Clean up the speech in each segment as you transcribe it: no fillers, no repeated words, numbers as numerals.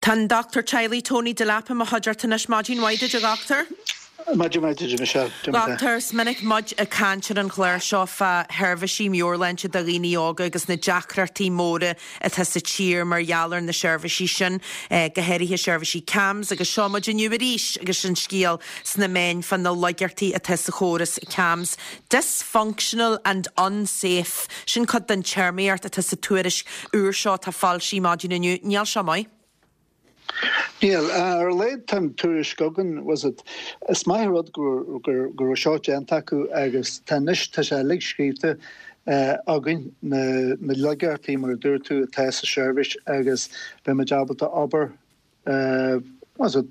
Tá an Dochtúir Teaghlaigh Tony Delap i mo chuideachta anois. Maidin mhaith duit, a Dhochtúir. Maidin mhaith duit, a Michelle. Dochtúir, is minic muid ag caint ar an chlár seo fá sheirbhísí meabhairshláinte do dhaoine óga agus na deacrachtaí móra atá sa tír mar gheall ar na seirbhísí sin, go háirithe seirbhísí CAMHS agus seo muid inniu arís agus an scéal sna meáin fá na laigeachtaí atá sa chóras CAMHS. Dysfunctional and unsafe, sin cuid den téarmaíocht atá sa tuairisc úr seo atá foilsithe maidin inniu. Níl seo maith. Níl. Ar a laghad tá an tuairisc againn, was it, is maith an rud go go raibh seo déanta acu agus tá anois, tá sé uilig scríobhta againn, na na laigeachtaí mar a dúirt tú atá sa seirbhís agus beidh muid ábalta obair was it,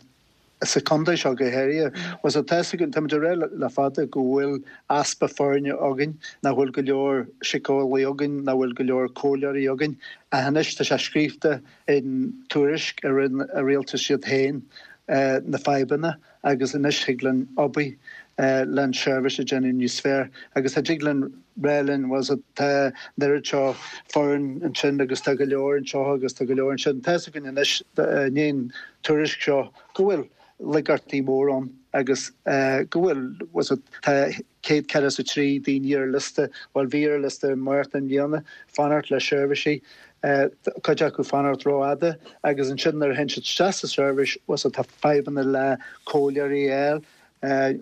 sa chontae seo go háirithe. Was it, tá fhios againn, táimid ag rá le fada go bhfuil easpa foirne againn, nach bhfuil go leor síceolaí againn, nach bhfuil go leor comhairleoirí againn. Ach anois tá sé scríofa in tuairisc a rinne an rialtas iad féin na fadhbanna agus anois thig linn obair le an seirbhís a dhéanamh níos fearr agus tá dtig linn rá linn was it, tá an oiread seo foireann ansin agus tá go leor anseo agus tá go leor ansin. Tá fhios againn anois i ndiaidh an tuairisc seo go bhfuil laigeachtaí mór ann agus go bhfuil was it, tá 143 daoine ar liosta, bhuel bhí ar liosta i Márta i mbliana, fanacht le seirbhísí, cuid acu fanacht rófhada agus ansin nuair a théann siad isteach sa seirbhís was it, tá fadhbanna le comhairleoirí a fháil,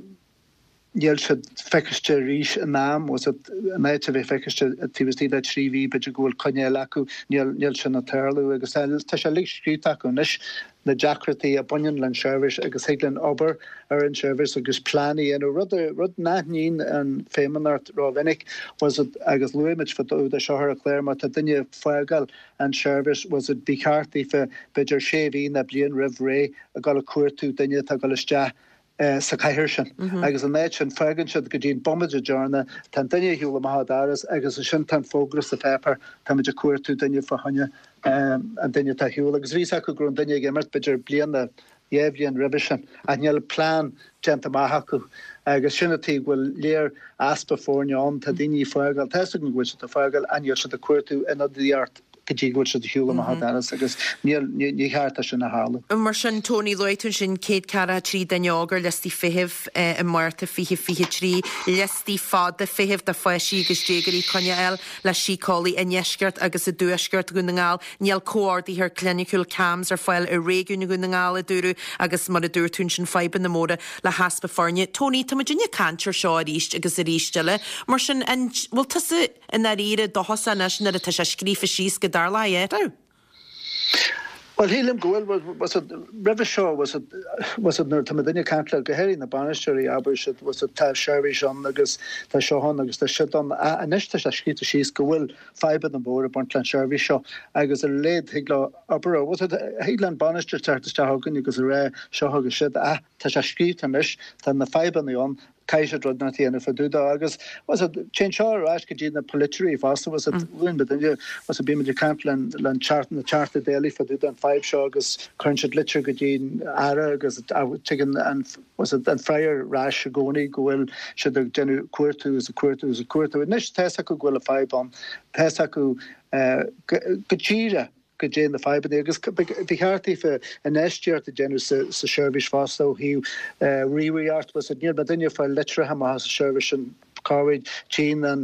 níl siad feiciste arís in am, was it, in áit a bheith feiciste taobh istigh de 3 mhí, b'fhéidir go bhfuil coinne eile acu, níl, níl sin ag tarlú agus tá, tá sé uilig scríobhta acu anois, na deacrachtaí a bhaineann leis an seirbhís agus thig linn obair ar an seirbhís agus plean a dhéanamh, rud a, rud nach níonn an Feidhmeannacht rómhinic, was it, agus luaigh muid fá dtaobh de seo ar an chlár má tá duine ag fágáil an seirbhís, was it, ba cheart daofa b'fhéidir sé mhí nó bliain roimh ré a dhul ag cuartú duine atá ag dul isteach sa chathaoir sin. Agus in áit sin, fágann siad go dtí an bomaite deireanach, tá an duine ar shiúl amach an doras agus ansin tá an fógra sa pháipéar, táimid ag cuartú duine fá choinne an duine atá ar shiúl. Agus bhí fhios acu go raibh an duine ag imeacht b'fhéidir bliain nó dhá bhliain roimhe sin, ach níl plean déanta amach acu. Agus sin an tuige go bhfuil léir easpa foirne ann, tá daoine ag fágáil, tá fhios againn go bhfuil siad ag fágáil ach níl siad ag cuartú ionadaíocht go dtí go bhfuil siad ar shiúl amach an doras agus níl, ní cheart dó sin a tharlú. Mar sin, Tony, luaigh tú ansin 143 duine óg ar liostaí feithimh i Márta 2023, liostaí fada feithimh do pháistí agus déagóirí coinne a fháil le síceolaí i ndeisceart agus i dtuaisceart Dhún na nGall. Níl comhordaitheoir cliniciúil CAMHS ar fáil i réigiún Dhún na nGall, a dúradh, agus mar a dúirt tú ansin, fadhbanna móra le heaspa foirne. Tony, tá muidinne ag caint ar seo arís agus arís eile. Mar sin, an bhfuil tusa. I ndáiríre, dóchasach anois nuair atá sé scríofa síos go dtarlóidh athrú? Bhuel, shílim go bhfuil. Was it, roimhe seo, was it, was it nuair atá muidinne ag caint le, go háirithe na bainisteoirí, abair siad, was it, tá seirbhís ann agus tá seo ann agus tá siúd ann. Anois tá sé scríofa síos go bhfuil fadhbanna móra ag baint leis an seirbhís seo agus ar a laghad thig leo obair, was it, thig le an bainisteoir teacht isteach chugainn agus a rá seo agus siúd. Ach tá sé scríofa anois, tá na fadhbanna ann, Caithfidh siad rud inteacht a dhéanamh fá dtaobh dó agus was it, téann seo ar ais go dtí na polaiteoirí fosta, was it, luann muidinne, was it, bímid ag caint le le na Teachtaí Dála fá dtaobh den fadhb seo agus cuireann siad litir go dtí an Aire agus tigeann an was it, an freagra ar ais i gcónaí go bhfuil siad ag déanamh cuartú is ag cuartú is ag cuartú. Anois tá fhios acu go bhfuil an fadhb ann, tá fhios acu go díreach goidé na fadhbanna agus ba cheart daofa infheistíocht a dhéanamh sa seirbhís fosta ó thaobh ríomhaireacht was it níl muidinne ag fáil litreacha amach as an seirbhís sin corruair tchíonn an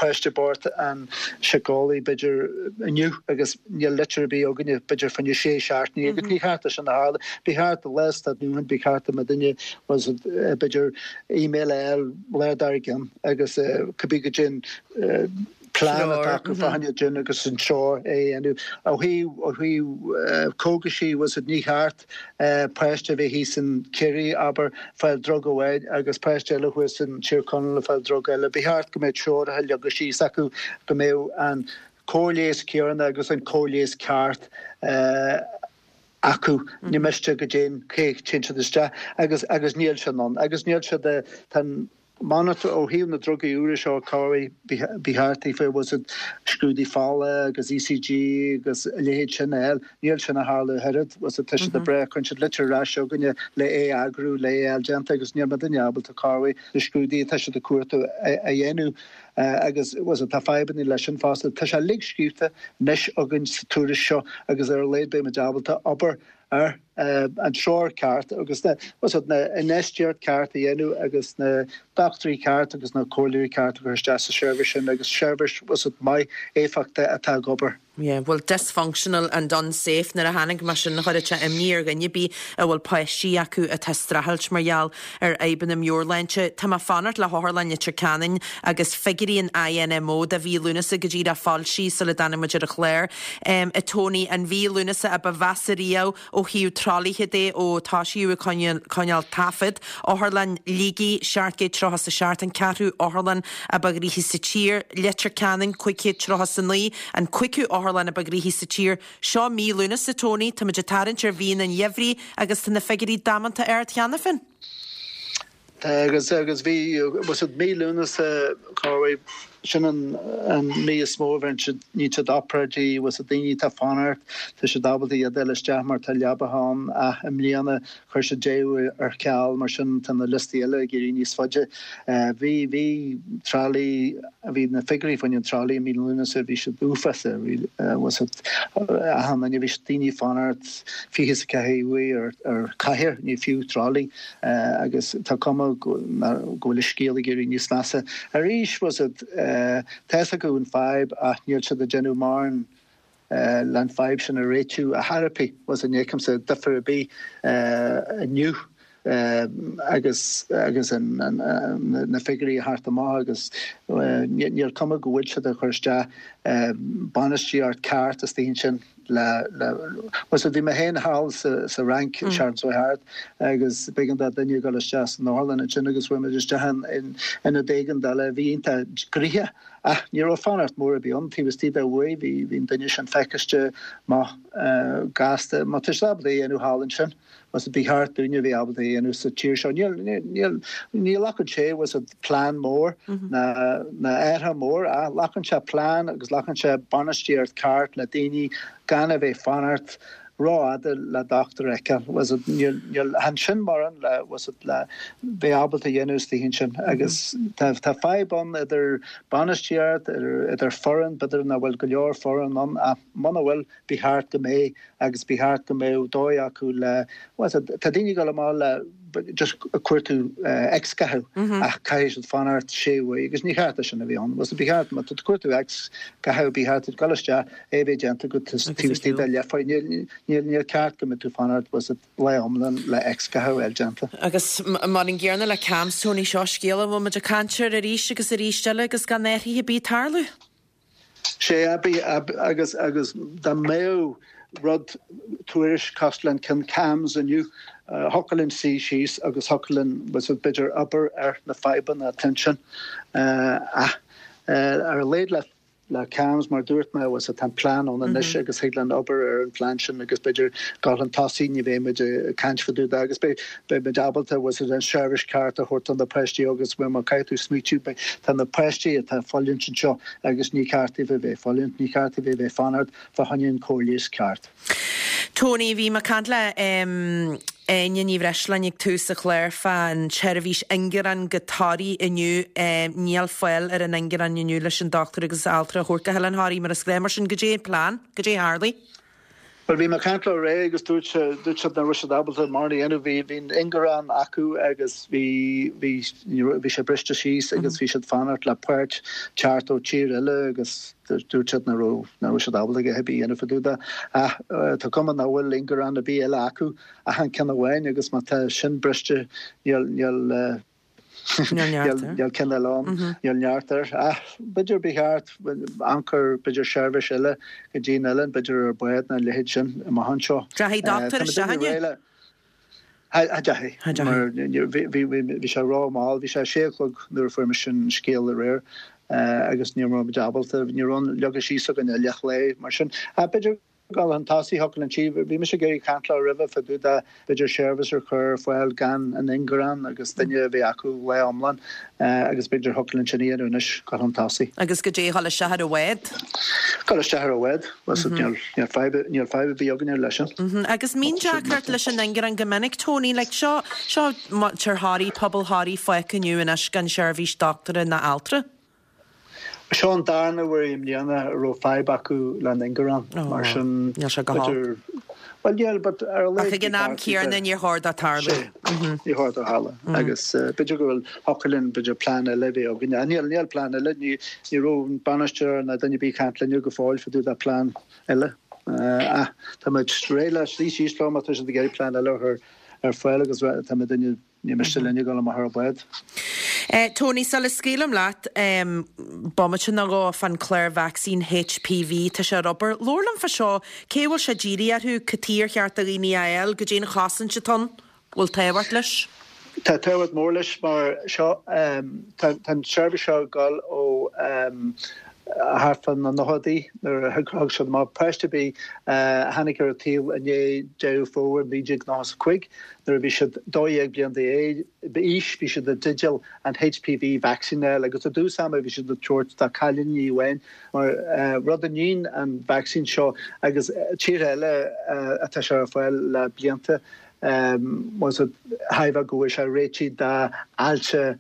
páiste bocht an síceolaí b'fhéidir inniu agus níl litir ar bith againne b'fhéidir fá choinne sé seachtainí agus ní cheart é sin a tharlú. Ba cheart lá is dá ndúthain ba cheart do muidinne was it b'fhéidir email a fháil lá dár gcionn agus cibé goidé an plean atá acu fá choinne sin agus an treoir é a dhéanamh. Ó thaobh ó thaobh cógaisí was it ní cheart páiste a bheith thíos in Ciarraí abair fáil drug amháin agus páiste eile thuas in Tír Chonaill ag fáil drug eile. Ba cheart go mbeadh treoracha leagtha síos acu go mbeadh an cóir leighis céanna agus an cóir leighis ceart acu. Ní miste go dtéann cé téann siad isteach agus agus níl sin ann agus níl siad tá an Monitor ó thaobh na drugaí úra seo corruair ba cheart daofa was it scrúdú fola agus ECG agus a leithéid sin a fháil. Níl sin ag tarlú ach oiread was it tá siad ag brath cuireann siad litir ar ais chugainne le é a eagrú le é a fháil déanta agus níl muidinne ábalta corruair na scrúduithe atá siad ag cuartú a dhéanamh. Agus bhfuil fhios agat, tá fadhbanna leis sin fosta. Tá sé uilig scríobhta anois againn sa tuairisc seo agus ar a laghad beidh muid ábalta obair ar an treoir ceart agus na, bhfuil fhios agat, na infheistíocht ceart a dhéanamh agus na dochtúirí ceart agus na comhairleoirí ceart a chur isteach sa seirbhís sin agus seirbhís, bhfuil fhios agat, maith, éifeachtach atá ag obair. Yeah, bhuel dysfunctional and unsafe nuair a tháinig mé sin chuirfeadh sé imní ar dhuine ar bith a bhfuil páistí acu atá ag streachailt mar gheall ar fhadhbanna meabhairshláinte. Tá mé ag fanacht le hOtharlann Leitir Ceanainn agus figiúirí an INMO do mhí Lúnasa go díreach foilsithe sula dtáinig muid ar an chlár. A Tony, an mhí Lúnasa a ba mheasa riamh Ó thaobh tralaithe de, ó tosaíodh ag coinneáil taifead, Otharlann Shligigh, 737, an ceathrú otharlann a ba ghnoithí sa tír, Leitir Ceanainn, 539, an cúigiú otharlann a ba ghnoithí sa tír. Seo mí Lúnasa, Tony, táimid ag tarraingt ar mhíonna an gheimhridh agus tá na figiúirí damanta ard cheana féin. Tá agus agus bhí bhfuil fhios agat mí Lúnasa corruair sin an an mí is mó a bhíonn siad níonn siad obráidí bhfuil fhios agat daoine atá ag fanacht tá siad ábalta iad a fháil isteach mar tá leabacha ann ach i mbliana chuir siad deireadh ar ceal mar sin tá na liostaí eile ag éirí níos faide. Bhí bhí tralaí bhí na figiúirí fá choinne an tralaí i mí Lúnasa bhí siad uafásach bhí bhfuil fhios agat achan duine bhí siad daoine ag fanacht 24 uair ar ar chathaoir ní fiú tralaí. Agus tá cuma go bhfuil an scéal ag éirí níos measa arís. Bhfuil fhios agat, tá fhios acu an fadhb ach níl siad ag déanamh mórán le an fadhb sin a réitiú ar chor ar bith. Bhfuil fhios agat, ní fheicimse difear ar bith inniu agus agus na figiúirí ag theacht amach agus níl cuma go bhfuil siad ag cur isteach bainistíocht ceart istigh ansin. le, le, bhfuil fhios agat, bhí mé féin thall sa, sa Fhrainc an tseachtain seo thart agus b'éigean do duine a dhul isteach san otharlann ansin agus chuaigh muid isteach in, in ionad éigeandála a bhí iontach gnoitheach ach ní raibh fanacht mór ar bith ann taobh istigh de uair bhí, bhí an duine sin feiciste maith gasta má tá siad ábalta é a dhéanamh thall ansin. Bhfuil fhios agat, ba cheart dúinne a bheith ábalta é a dhéanamh sa tír seo. Níl, níl, ní ghlacann sé, bhfuil fhios agat, plean mór ná, ná athrú mór ach glacann sé plean agus glacann sé bainistíocht ceart le daoine gan a bheith fanacht rófhada le dochtúir a fheiceáil. Bhfuil fhios agat, níl, níl, chan sin mórán le, bhfuil fhios agat, le bheith ábalta a dhéanamh istigh ansin agus tá, tá fadhb ann idir bainistíocht, idir, idir foireann, b'fhéidir nach bhfuil go leor foireann ann ach muna bhfuil, ba cheart go mbeadh agus ba cheart go mbeadh dóigh acu le, bhfuil fhios agat, tá daoine ag dul amach le just ag cuartú X-ghathú ach caithfidh siad fanacht sé uair agus ní cheart é sin a bheith ann. Bhfuil fhios agat, ba cheart, má tá tú ag cuartú X-ghathú ba cheart duit dul isteach, é a bheith déanta agat taobh istigh de leathuair. Níl, níl, níl ceart go mbeidh tú fanacht, bhfuil fhios agat, lá iomlán le X-ghathú a fháil déanta. Agus mar an gcéanna le CAMHS, Tony, seo scéal a bhfuil muid ag caint air arís agus arís eile agus gan athruithe ar bith ag tarlú. Sea, agus agus dá mbeadh rud, tuairisc cosúil le an ceann CAMHS inniu, thiocfadh linn suí síos agus thiocfadh linn, bhfuil fhios agat, b'fhéidir obair ar na fadhbanna atá ansin. Ach ar a laghad le le CAMHS, mar dúirt mé, bhfuil fhios agat, tá an plean ann anois agus thig linn obair ar an phlean sin agus b'fhéidir dul chun tosaigh, ní bheidh muid ag caint fá dtaobh de agus beidh Beidh muid ábalta, bhfuil fhios agat, an seirbhís ceart a thabhairt do na páistí agus bhuel má caithfidh tú smaoitiú, beidh, tá na páistí atá ag fulaingt anseo agus ní ceart daofa a bheith ag fulaingt, ní ceart daofa a bheith ag fanacht fá choinne an cóir leighis ceart. Tony, bhí mé ag caint le Áine Ní Bhreisleáin ag tús an chláir fán tseirbhís ingearán go Toraigh inniu. Níl fáil ar an ingearán inniu leis an dochtúir agus altra a thabhairt go hOileán Thoraí mar is gnáth. Mar sin, goidé an plean? Goidé a tharlaigh? Bhuel, bhí mé ag caint leo aréir agus dúirt dúirt siad nach raibh siad ábalta mórán a dhéanamh. Bhí, bhí an ingearán acu agus bhí, bhí, ní raibh, bhí sé briste síos agus bhí siad fanacht le páirt teacht ó tír eile agus dúirt siad nach raibh, nach raibh siad ábalta a dhath ar bith a dhéanamh fá dtaobh de. Ach tá cuma nach bhfuil ingearán ar bith eile acu ach an ceann amháin agus má tá sin briste níl, níl, Níl neart air. Níl ceann eile ann. Níl neart air. Ach b'fhéidir ba cheart amharc ar b'fhéidir seirbhís eile go dtí an oileán, b'fhéidir ar bád nó a leithéid sin amach anseo. Deachaigh dochtúir isteach inniu? Cha deachaigh. Mar bhí sé ró-mhall. Bhí sé a sé a chlog nuair a fuair mise an scéal aréir agus ní raibh muid ábalta, ní raibh an leagtha síos againn i leath lae mar sin. Ach b'fhéidir Dul chun tosaigh, thiocfadh linn sí. Bhí mise ag iarraidh caint leo roimhe fá dtaobh de b'fhéidir seirbhís a chur ar fáil gan an ingearán agus duine a bheith acu lá iomlán agus b'fhéidir thiocfadh linn sin a dhéanamh anois, dul chun tosaigh. Agus goidé a dhul isteach ar an bhád? Dul isteach ar an bhád, bhuel níl fadhb, níl fadhb ar bith againne leis sin. Agus mbíonn deacracht leis an ingearán go minic, Tony, like seo, seo muintir Thoraí, pobal Thoraí fágtha inniu anois gan seirbhís dochtúra ná altra. Seo an darna huair i mbliana a raibh fadhb acu le an ingearán, mar sin Níl sé go holc. Bhuel níl, but ar a laghad Ach ag an am céanna níor chóir dó tarlú. Sea, níor chóir dó tarlú. Agus b'fhéidir go bhfuil, thiocfadh linn b'fhéidir plean eile a bheith againn. Níl, níl plean eile, ní raibh an bainisteoir ná duine ar bith ag caint linn go fóill fá dtaobh de plean eile. Ach tá muid réidh le suí síos leo má tá siad ag iarraidh plean eile a chur ar fáil agus tá muid in Ní miste linn a dhul amach ar an bhád. Tony, sula scaoilim leat, bomaite nó dhó fán clár vacsaín HPV, tá sé ar obair. Labhair liom fá seo, cé a bhfuil sé dírithe orthu, cad chuige ar cheart do dhaoine é a fháil, goidé an chosaint atá ann, bhfuil tábhacht leis? Tá tábhacht mór leis mar seo, tá an tseirbhís seo ag dul ó thart fá na nóchaidí nuair a thug siad amach páiste ar bith a tháinig ar an tsaol i ndiaidh Deireadh Fómhair 1995 nuair a bhí siad 12 bliain d'aois bhí siad i dteideal an HPV vaccine a fháil agus i dtús ama bhí siad ag tabhairt do cailíní amháin mar rud a níonn an vacsaín seo agus tíortha eile atá sé ar fáil le blianta was it thairbhe go bhfuil sé réitithe d'ailse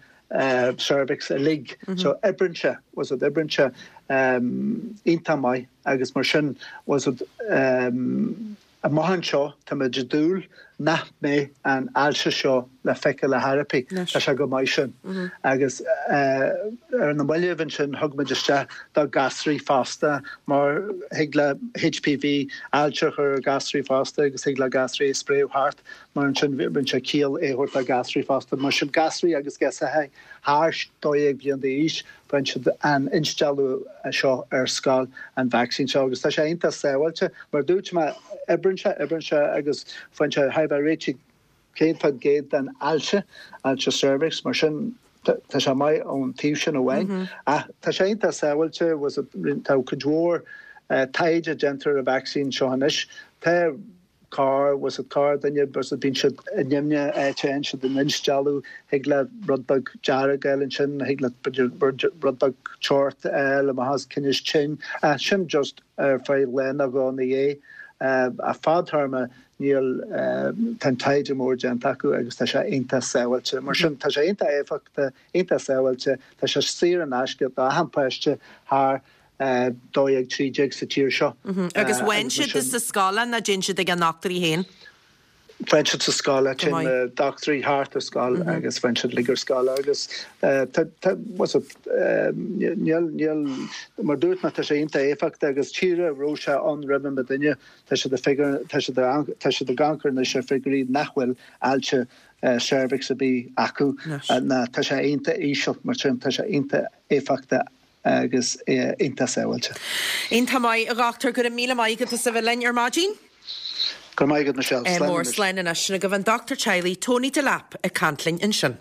cervix uilig. So oibreann sé, was it oibreann sé iontach maith agus mar sin was it amach anseo táimid ag dúil nach mbeidh an ailse seo le feiceáil ar chor ar bith. Tá sé chomh maith sin. Agus ar na mallaibh ansin thug muid isteach do gasraí fosta mar thig le HPV ailse a chur ar gasraí fosta agus thig le gasraí a spréadh thart. Mar ansin rinne sé ciall é a thabhairt do ghasraí fosta. Mar sin gasraí agus girseachaí thar 12 bliain d'aois, faigheann siad an instealladh seo ar scoil, an vacsaín seo. Agus tá sé iontach sábháilte. Mar a dúirt mé, oibreann sé, oibreann sé agus faigheann sé thar a bheith réitigh 100% den ailse, ailse cervix. Mar sin tá sé maith ón taobh sin amháin. Ach tá sé iontach sábháilte, tá cuid mhór taighde déanta ar an vacsaín seo anois. Tá. Corr, was it corrdhuine, was it bíonn siad i nimhne áit a fhaigheann siad an instealladh, thig le rud beag dearg a fháil ansin, thig le b'fhéidir rud beag teocht a fháil amach as tinneas tinn, ach sin just ar feadh lá nó dhó ina dhiaidh. Ach fadtéarma níl, tá an taighde mór déanta acu agus tá sé iontach sábháilte. Mar sin tá sé iontach éifeachtach, iontach sábháilte, tá sé saor in aisce d'achan páiste thar 12, 13 sa tír seo. Agus faigheann siad sa scoil é nó téann siad ag a ndochtúirí féin? Faigheann siad sa scoil é, téann na dochtúirí thart ar scoil agus faigheann siad uilig ar scoil agus tá, tá, what's it, níl, níl, mar dúirt mé tá sé iontach éifeachtach agus tíortha a raibh sé ann roimhe muidinne, tá siad ag figiúr, tá siad ag, tá siad ag amharc anois ar figiúirí nach bhfuil ailse cervix ar bith acu ná tá sé iontach íseal mar sin tá sé iontach éifeachtach. agus iontach sábháilte. Iontach maith, a dhochtúir, go raibh míle maith agat as a bheith linn ar maidin. Go raibh maith agat, Michelle. Slán anois. Mór, slán anois. Sin agaibh an dochtúir teaghlaigh, Tony Delap, ag caint linn ansin.